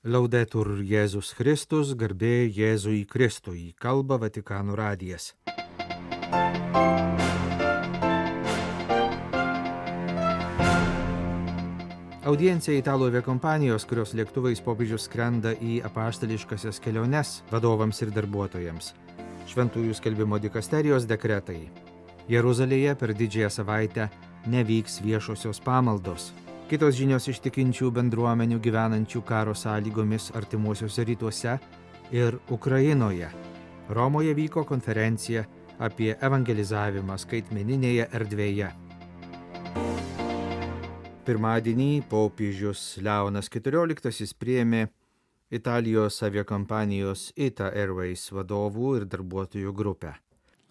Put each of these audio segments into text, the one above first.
Laudetur Jėzus Kristus, garbė Jėzui Kristui, kalba Vatikano radijas. Audiencija italų aviakompanijos, kurios lėktuvais popiežius skrenda į apaštališkasias keliones vadovams ir darbuotojams. Šventųjų skelbimo dikasterijos dekretai. Jeruzalėje per didžiąją savaitę nevyks viešosios pamaldos. Kitos žinios iš tikinčių bendruomenių gyvenančių karo sąlygomis artimuosiuose rytuose ir Ukrainoje. Romoje vyko konferencija apie evangelizavimą skaitmeninėje erdvėje. Pirmadienį popiežius Leonas XIV priėmė Italijos aviakompanijos ITA Airways vadovų ir darbuotojų grupę.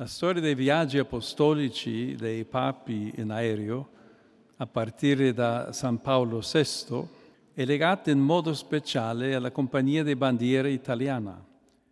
La storia dei viaggi apostolici dei papi in aereo a partire da San Paolo VI è legata in modo speciale alla Compagnia di Bandiera Italiana.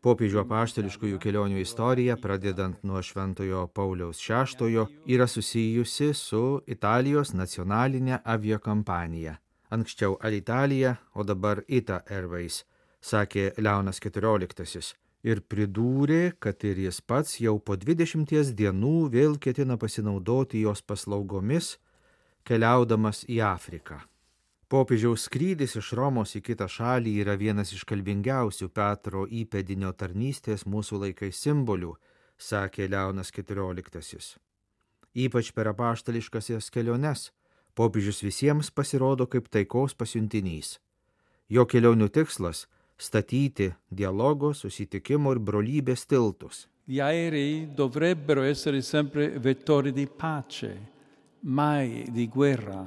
Popiežių apaštališkųjų kelionių istorija, pradedant nuo Šventojo Pauliaus VI, yra susijusi su Italijos nacionalinė aviakompanija. Anksčiau Alitalia, o dabar ITA Airways, sakė Leonas XIV. Ir pridūrė, kad ir jis pats jau po 20 dienų vėl ketina pasinaudoti jos paslaugomis, keliaudamas į Afriką. Popiežiaus skrydis iš Romos į kitą šalį yra vienas iš kalbingiausių Petro įpėdinio tarnystės mūsų laikais simbolių, sakė Leonas XIV. Ypač per apaštališkasias keliones popiežius visiems pasirodo kaip taikos pasiuntinys. Jo kelionių tikslas – statyti dialogo, susitikimo ir brolybės tiltus. Gli aerei dovrebbero essere sempre vettori di pace, mai di guerra.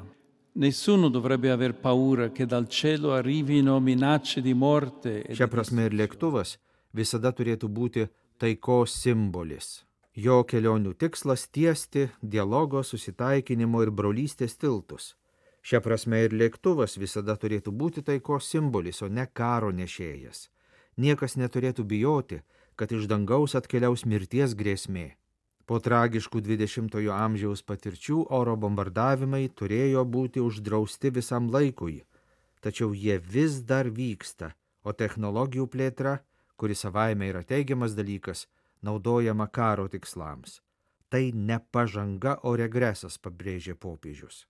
Nessuno dovrebbe aver paura che dal cielo arrivino minacce di morte. Šia prasme ir lėktuvas visada turėtų būti taikos simbolis. Jo kelionių tikslas tiesti dialogo, susitaikinimo ir brolystės tiltus. Šia prasme ir lėktuvas visada turėtų būti taikos simbolis, o ne karo nešėjas. Niekas neturėtų bijoti, kad iš dangaus atkeliaus mirties grėsmė. Po tragiškų 20-ojo amžiaus patirčių oro bombardavimai turėjo būti uždrausti visam laikui, tačiau jie vis dar vyksta, o technologijų plėtra, kuri savaime yra teigiamas dalykas, naudojama karo tikslams. Tai ne pažanga, o regresas, pabrėžė popiežius.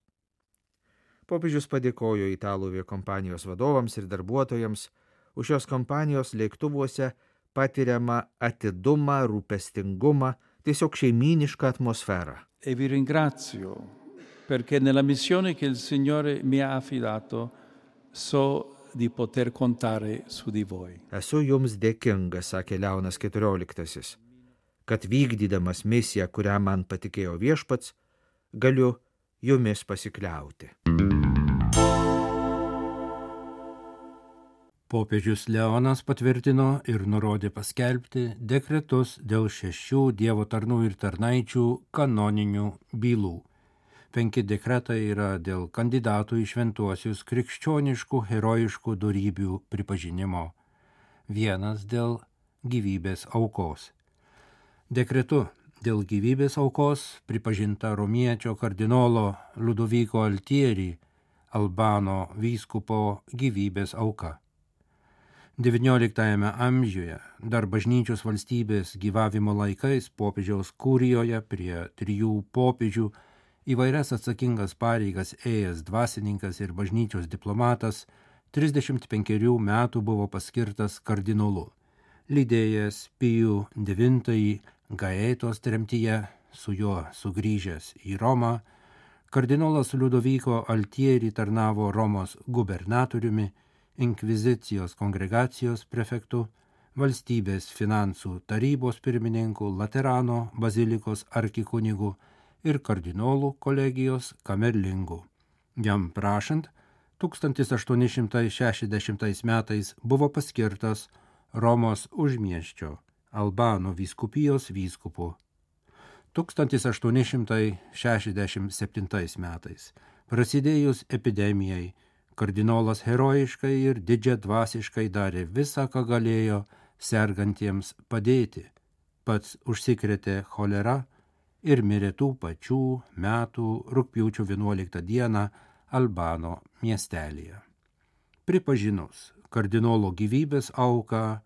Popiežius padėkojo italų aviakompanijos vadovams ir darbuotojams už šios kompanijos lėktuvuose patiriamą atidumą, rūpestingumą, tiesiog šeimynišką atmosferą. E vi ringrazio perché nella missione che il Signore mi ha affidato so di poter contare su di voi. Esu jums dėkingas, sakė Leonas XIV, kad vykdydamas misiją, kurią man patikėjo viešpats, galiu jumis pasikliauti. Popiežius Leonas patvirtino ir nurodė paskelbti dekretus dėl 6 Dievo tarnų ir tarnaičių kanoninių bylų. 5 dekretai yra dėl kandidatų į šventuosius krikščioniškų herojiškų dorybių pripažinimo. 1 dėl gyvybės aukos. Dekretu dėl gyvybės aukos pripažinta romiečio kardinolo Ludovico Altieri, Albano vyskupo gyvybės auka. XIX amžiuje, dar bažnyčios valstybės gyvavimo laikais popiežiaus kurijoje prie 3 popiežių įvairias atsakingas pareigas ėjęs dvasininkas ir bažnyčios diplomatas 35 metų buvo paskirtas kardinolu. Lydėjęs Pijų IX Gaetos tremtyje, su juo sugrįžęs į Romą, kardinolas Ludovico Altieri tarnavo Romos gubernatoriumi, inkvizicijos kongregacijos prefektu, valstybės finansų tarybos pirmininku, Laterano bazilikos arkikunigu ir kardinolų kolegijos kamerlingu. Jam prašant, 1860 metais buvo paskirtas Romos užmiesčio Albano vyskupijos vyskupu. 1867 metais, prasidėjus epidemijai, kardinolas herojiškai ir didžiadvasiškai darė visą, ką galėjo sergantiems padėti. Pats užsikrėtė cholera ir mirė tų pačių metų rugpjūčio 11 dieną Albano miestelyje. Pripažinus kardinolo gyvybės auką,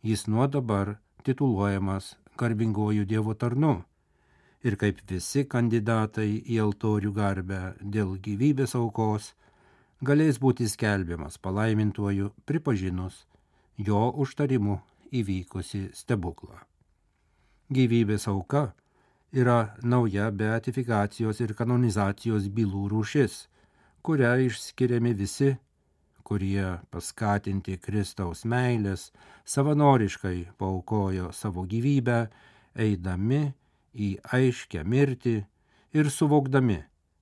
jis nuo dabar tituluojamas garbinguoju Dievo tarnu. Ir kaip visi kandidatai į altorių garbę dėl gyvybės aukos, galės būti skelbiamas palaimintuoju pripažinus jo užtarimu įvykusi stebuklą. Gyvybės auka yra nauja beatifikacijos ir kanonizacijos bylų rūšis, kuria išskiriami visi, kurie paskatinti Kristaus meilės savanoriškai paaukojo savo gyvybę, eidami į aiškę mirtį ir suvokdami,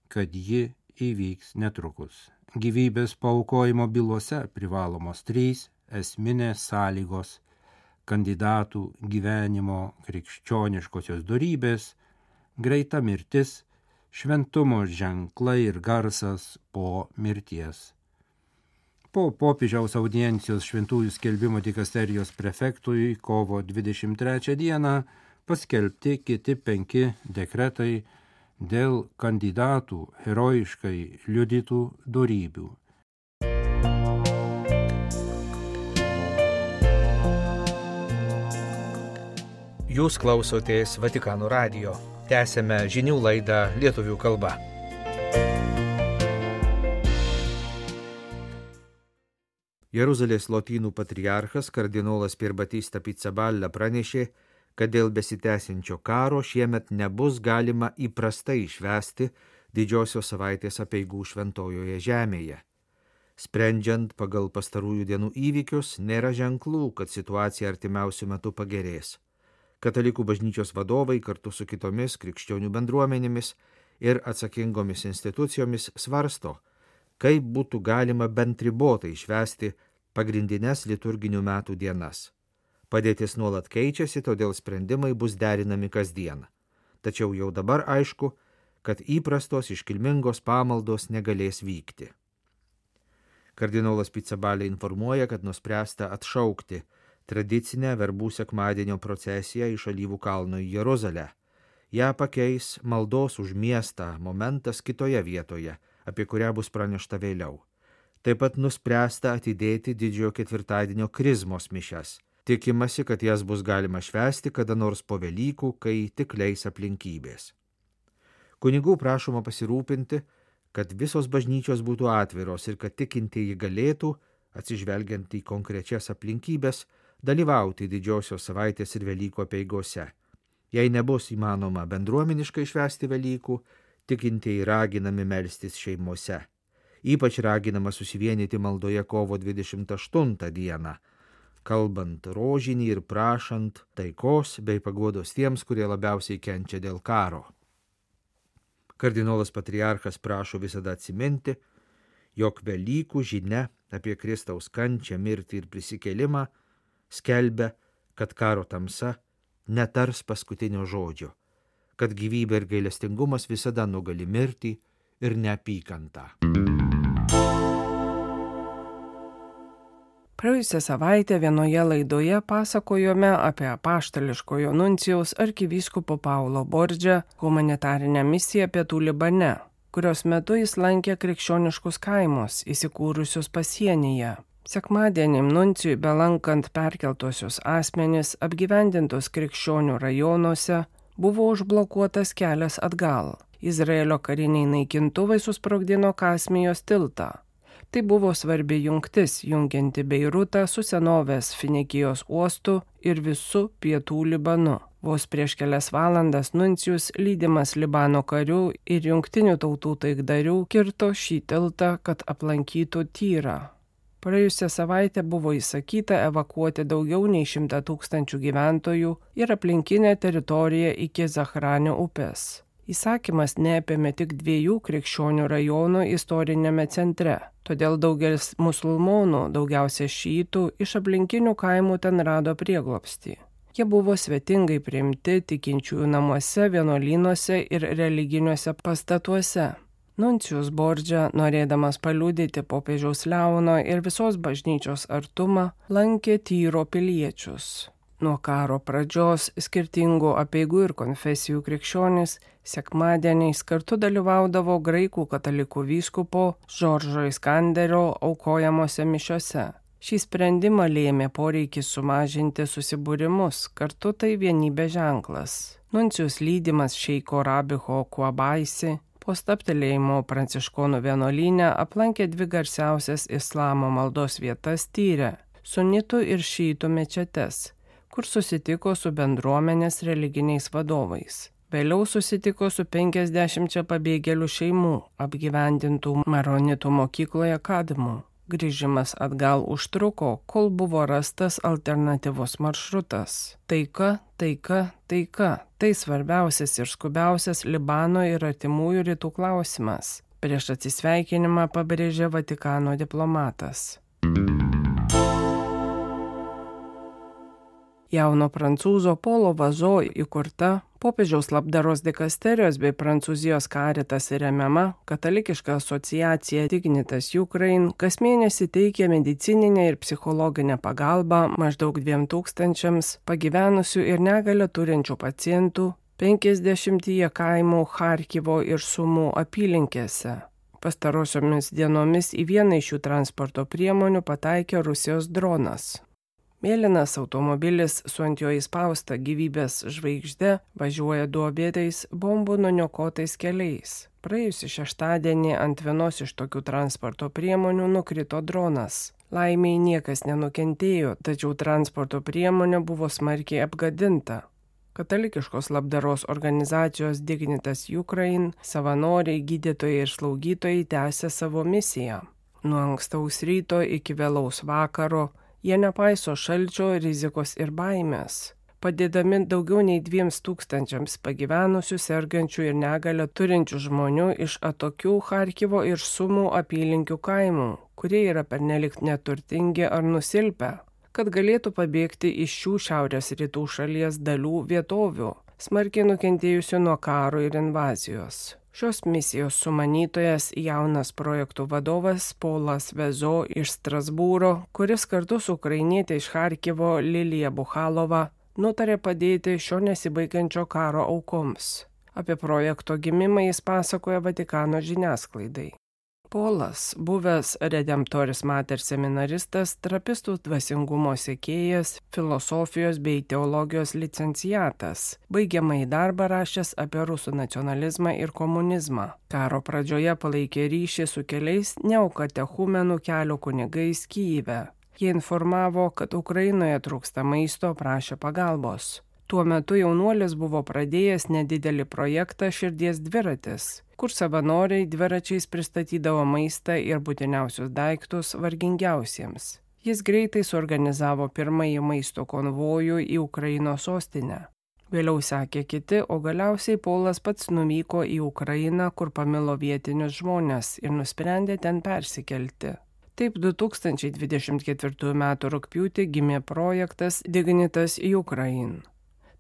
kad ji įvyks netrukus. Gyvybės paaukojimo bylose privalomos 3 esminės sąlygos: kandidatų gyvenimo krikščioniškosios dorybės, greita mirtis, šventumo ženklai ir garsas po mirties. Po popiežiaus audiencijos šventųjų skelbimo dikasterijos prefektui kovo 23 dieną paskelbti kiti 5 dekretai dėl kandidatų herojiškai liudytų dorybių. Jūs klausotės Vatikano radijo. Tęsėme žinių laidą lietuvių kalba. Jeruzalės lotynų patriarchas kardinolas Pierbattista Pizzaballa pranešė, kad dėl besitęsiančio karo šiemet nebus galima įprastai švęsti didžiosios savaitės apeigų šventojoje žemėje. Sprendžiant pagal pastarųjų dienų įvykius, nėra ženklų, kad situacija artimiausių metų pagerės. Katalikų bažnyčios vadovai kartu su kitomis krikščionių bendruomenėmis ir atsakingomis institucijomis svarsto, kaip būtų galima bent ribotai švęsti pagrindines liturginių metų dienas. Padėtis nuolat keičiasi, todėl sprendimai bus derinami kasdien. Tačiau jau dabar aišku, kad įprastos iškilmingos pamaldos negalės vykti. Kardinolas Pizzaballa informuoja, kad nuspręsta atšaukti tradicinę verbų sekmadienio procesiją iš Alyvų kalno į Jeruzalę. Ja pakeis maldos už miestą momentas kitoje vietoje, apie kurią bus pranešta vėliau. Taip pat nuspręsta atidėti didžiojo ketvirtadienio krizmos mišias. Tikimasi, kad jas bus galima švęsti kada nors po Velykų, kai tik leis aplinkybės. Kunigų prašoma pasirūpinti, kad visos bažnyčios būtų atviros ir kad tikintieji galėtų, atsižvelgiant į konkrečias aplinkybės, dalyvauti didžiosios savaitės ir Velykų apeigose. Jei nebus įmanoma bendruomeniškai švęsti Velykų, tikintieji raginami melstis šeimose. Ypač raginama susivienyti maldoje kovo 28 dieną, kalbant rožinį ir prašant taikos bei paguodos tiems, kurie labiausiai kenčia dėl karo. Kardinolas patriarchas prašo visada atsiminti, jog Velykų žinia apie Kristaus kančią, mirtį ir prisikėlimą skelbia, kad karo tamsa netars paskutinio žodžio, kad gyvybė ir gailestingumas visada nugali mirtį ir neapykantą. Praėjusią savaitę vienoje laidoje pasakojome apie apaštališkojo nuncijaus arkivyskupo Paulo Bordžio humanitarinę misiją Pietų Libane, kurios metu jis lankė krikščioniškus kaimus įsikūrusius pasienyje. Sekmadienį nuncijui belankant perkeltuosius asmenis apgyvendintus krikščionių rajonuose buvo užblokuotas kelias atgal. Izraelio kariniai naikintuvai susprogdino Kasmijos tiltą. Tai buvo svarbi jungtis, jungianti Beirutą su senovės Finikijos uostu ir visu Pietų Libanu. Vos prieš kelias valandas nuncijus, lydimas Libano karių ir jungtinių tautų taikdarių, kirto šį tiltą, kad aplankytų Tyrą. Praėjusią savaitę buvo įsakyta evakuoti daugiau nei 100 000 gyventojų ir aplinkinę teritoriją iki Zahranio upės. Įsakymas neapėmė tik 2 krikščionių rajonų istorinėme centre, todėl daugelis musulmonų, daugiausia šytų, iš aplinkinių kaimų ten rado prieglobstį. Jie buvo svetingai priimti tikinčiųjų namuose, vienuolynuose ir religiniuose pastatuose. Nuncijus Bordžio, norėdamas paliudyti popiežiaus Leono ir visos bažnyčios artumą, lankė Tyro piliečius. Nuo karo pradžios skirtingų apeigų ir konfesijų krikščionys sekmadieniais kartu dalyvaudavo graikų katalikų vyskupo Žoržo Iskanderio aukojamose mišiose. Šį sprendimą lėmė poreikis sumažinti susibūrimus, kartu tai vienybės ženklas. Nuncijus lydimas šeiko Rabiho Kuabaisi po stabtelėjimo Pranciškonų vienuolyne aplankė 2 garsiausias islamo maldos vietas Tyre – sunitų ir šytų mečetes, kur susitiko su bendruomenės religiniais vadovais. Vėliau susitiko su 50 pabėgėlių šeimų, apgyvendintų maronitų mokykloje Kadmu. Grįžimas atgal užtruko, kol buvo rastas alternatyvus maršrutas. Taika, taika, taika – tai svarbiausias ir skubiausias Libano ir artimųjų rytų klausimas. Prieš atsisveikinimą pabrėžė Vatikano diplomatas. Jauno prancūzo Polo Vazo įkurta popiežiaus labdaros dikasterijos bei Prancūzijos Caritas remiama katalikiška asociacija Dignitas Ukraine kas mėnesį teikia medicininę ir psichologinę pagalbą maždaug 2000 pagyvenusių ir negalią turinčių pacientų 50 kaimų Charkivo ir Sumų apylinkėse. Pastarosiomis dienomis į vieną iš šių transporto priemonių pataikė Rusijos dronas. Mėlynas automobilis su ant jo įspausta gyvybės žvaigžde važiuoja duobėtais bombų nuniokotais keliais. Praėjusį šeštadienį ant vienos iš tokių transporto priemonių nukrito dronas. Laimiai niekas nenukentėjo, tačiau transporto priemonė buvo smarkiai apgadinta. Katalikiškos labdaros organizacijos Dignitas Ukraine savanoriai, gydytojai ir slaugytojai tęsia savo misiją. Nuo ankstaus ryto iki vėlaus vakaro jie nepaiso šalčio, rizikos ir baimės, padėdami daugiau nei 2000 pagyvenusių, sergančių ir negalią turinčių žmonių iš atokių Charkivo ir Sumų apylinkių kaimų, kurie yra pernelik neturtingi ar nusilpę, kad galėtų pabėgti iš šių šiaurės rytų šalies dalių vietovių, smarkiai nukentėjusių nuo karo ir invazijos. Šios misijos sumanytojas jaunas projektų vadovas Polas Vazo iš Strasbūro, kuris kartu su ukrainietė iš Charkivo Lilija Buchalova nutarė padėti šio nesibaigiančio karo aukoms. Apie projekto gimimą jis pasakoja Vatikano žiniasklaidai. Polas, buvęs Redemptoris Mater seminaristas, trapistų dvasingumo sekėjas, filosofijos bei teologijos licenciatas, baigiamąjį darbą rašęs apie rusų nacionalizmą ir komunizmą. Karo pradžioje palaikė ryšį su keliais neokatechumenų kelio kunigais Kyjive. Jie informavo, kad Ukrainoje trūksta maisto, prašė pagalbos. Tuo metu jaunuolis buvo pradėjęs nedidelį projektą Širdies dviratis, kur savanoriai dviračiais pristatydavo maistą ir būtiniausius daiktus vargingiausiems. Jis greitai suorganizavo pirmąjį maisto konvojų į Ukrainos sostinę. Vėliau sekė kiti, o galiausiai Polas pats nuvyko į Ukrainą, kur pamilo vietinius žmonės ir nusprendė ten persikelti. Taip 2024 m. rugpjūtį gimė projektas Dignitas Ukraine.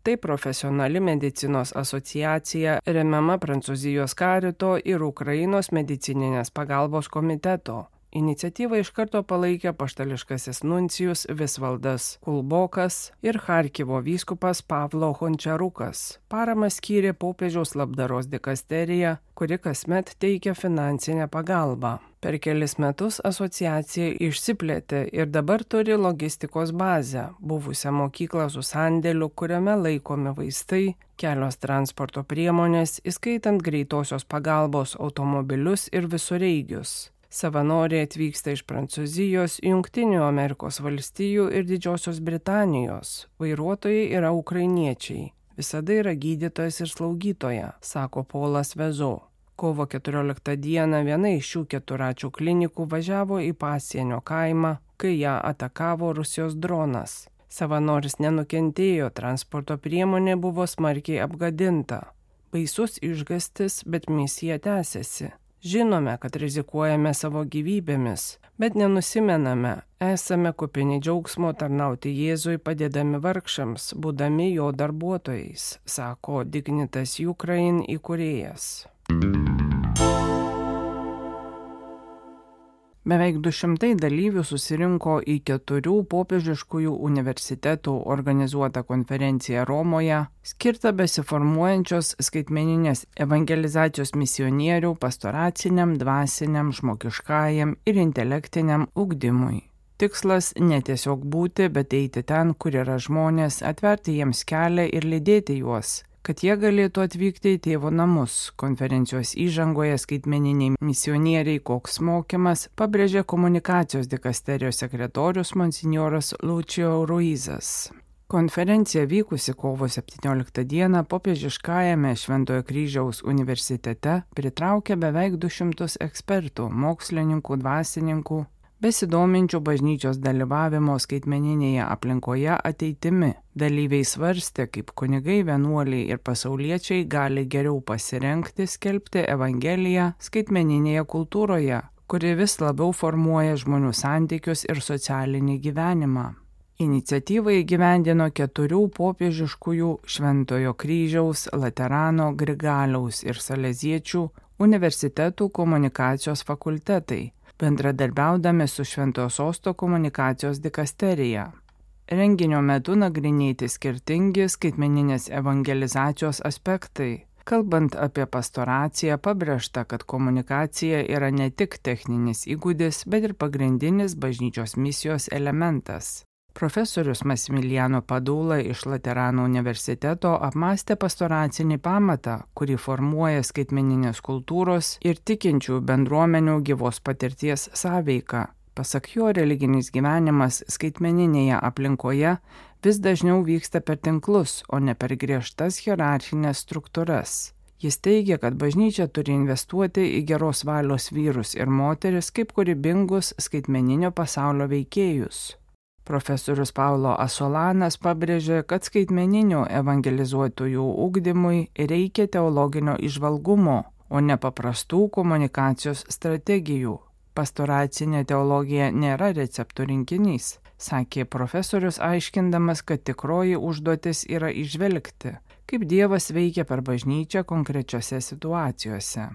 Tai profesionali medicinos asociacija remiama Prancūzijos Carito ir Ukrainos medicininės pagalbos komiteto. Iniciatyvą iš karto palaikė apaštališkasis nuncijus Visvaldas Kulbokas ir Charkivo vyskupas Pavlo Hončarukas. Paramą skyrė popiežiaus labdaros dikasterija, kuri kasmet teikia finansinę pagalbą. Per kelis metus asociacija išsiplėtė ir dabar turi logistikos bazę, buvusią mokyklą su sandėliu, kuriame laikomi vaistai, kelios transporto priemonės, įskaitant greitosios pagalbos automobilius ir visureigius. Savanoriai atvyksta iš Prancūzijos, Jungtinių Amerikos valstijų ir Didžiosios Britanijos. Vairuotojai yra ukrainiečiai. Visada yra gydytojas ir slaugytoja, sako Polas Vazo. Kovo 14 dieną viena iš šių keturračių klinikų važiavo į pasienio kaimą, kai ją atakavo Rusijos dronas. Savanoris nenukentėjo, transporto priemonė buvo smarkiai apgadinta. Baisus išgąstis, bet misija tęsiasi. Žinome, kad rizikuojame savo gyvybėmis, bet nenusimename, esame kupini džiaugsmo tarnauti Jėzui padėdami vargšams, būdami jo darbuotojais, sako Dignitas Ukraine įkūrėjas. Beveik 200 dalyvių susirinko į 4 popiežiškųjų universitetų organizuotą konferenciją Romoje, skirtą besiformuojančios skaitmeninės evangelizacijos misionierių pastoraciniam, dvasiniam, žmogiškajam ir intelektiniam ugdymui. Tikslas ne tiesiog būti, bet eiti ten, kur yra žmonės, atverti jiems kelią ir lydėti juos, kad jie galėtų atvykti į tėvo namus. Konferencijos įžangoje skaitmeniniai misionieriai koks mokymas pabrėžė komunikacijos dikasterijos sekretorius monsinjoras Lucio Ruizas. Konferencija vykusi kovo 17 dieną popiežiškajame Šventojo Kryžiaus universitete pritraukė beveik 200 ekspertų, mokslininkų, dvasininkų, besidominčių bažnyčios dalyvavimo skaitmeninėje aplinkoje ateitimi. Dalyviai svarstė, kaip kunigai, vienuoliai ir pasauliečiai gali geriau pasirengti skelbti Evangeliją skaitmeninėje kultūroje, kuri vis labiau formuoja žmonių santykius ir socialinį gyvenimą. Iniciatyvą įgyvendino 4 popiežiškųjų Šventojo Kryžiaus, Laterano, Grigaliaus ir Saleziečių universitetų komunikacijos fakultetai, bendradarbiaudami su Šventojo Sosto komunikacijos dikasterija. Renginio metu nagrinėti skirtingi skaitmeninės evangelizacijos aspektai. Kalbant apie pastoraciją, pabrėžta, kad komunikacija yra ne tik techninis įgūdis, bet ir pagrindinis bažnyčios misijos elementas. Profesorius Massimiliano Padula iš Laterano universiteto apmąstė pastoracinį pamatą, kurį formuoja skaitmeninės kultūros ir tikinčių bendruomenių gyvos patirties sąveika. Pasak jo, religinis gyvenimas skaitmeninėje aplinkoje vis dažniau vyksta per tinklus, o ne per griežtas hierarchinės struktūras. Jis teigia, kad bažnyčia turi investuoti į geros valios vyrus ir moteris kaip kūrybingus skaitmeninio pasaulio veikėjus. Profesorius Paulo Asolanas pabrėžė, kad skaitmeninio evangelizuotojų ugdymui reikia teologinio įžvalgumo, o ne paprastų komunikacijos strategijų. Pastoracinė teologija nėra receptų rinkinys, sakė profesorius, aiškindamas, kad tikroji užduotis yra įžvelgti, kaip Dievas veikia per bažnyčią konkrečiose situacijose.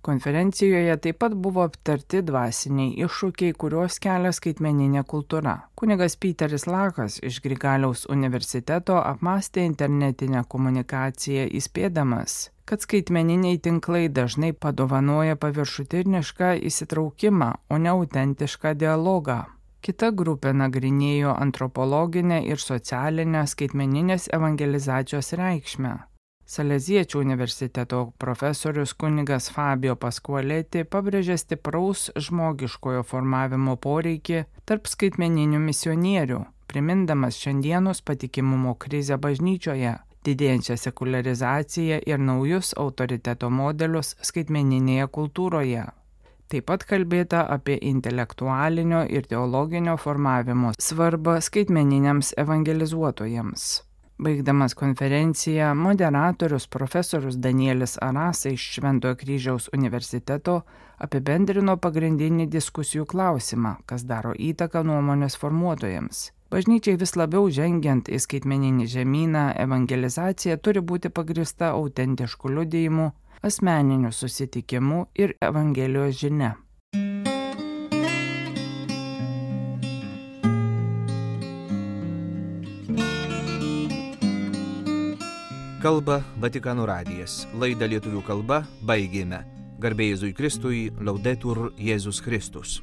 Konferencijoje taip pat buvo aptarti dvasiniai iššūkiai, kuriuos kelia skaitmeninė kultūra. Kunigas Piteris Lakas iš Grigaliaus universiteto apmąstė internetinę komunikaciją įspėdamas, kad skaitmeniniai tinklai dažnai padovanoja paviršutinišką įsitraukimą, o ne autentišką dialogą. Kita grupė nagrinėjo antropologinę ir socialinę skaitmeninės evangelizacijos reikšmę. Saleziečių universiteto profesorius kunigas Fabio Pasqualetti pabrėžė stipraus žmogiškojo formavimo poreikį tarp skaitmeninių misionierių, primindamas šiandienos patikimumo krizę bažnyčioje, didėjančią sekularizaciją ir naujus autoriteto modelius skaitmeninėje kultūroje. Taip pat kalbėta apie intelektualinio ir teologinio formavimo svarbą skaitmeniniams evangelizuotojams. Baigdamas konferenciją, moderatorius profesorius Danielis Arasa iš Šventojo Kryžiaus universiteto apibendrino pagrindinį diskusijų klausimą, kas daro įtaką nuomonės formuotojams. Bažnyčiai vis labiau žengiant į skaitmeninį žemyną, evangelizacija turi būti pagrįsta autentišku liudijimu, asmeniniu susitikimu ir Evangelijos žinia. Kalba Vatikano radijas. Laidą lietuvių kalba baigėme. Garbė Jėzui Kristui, Laudetur Jėzus Kristus.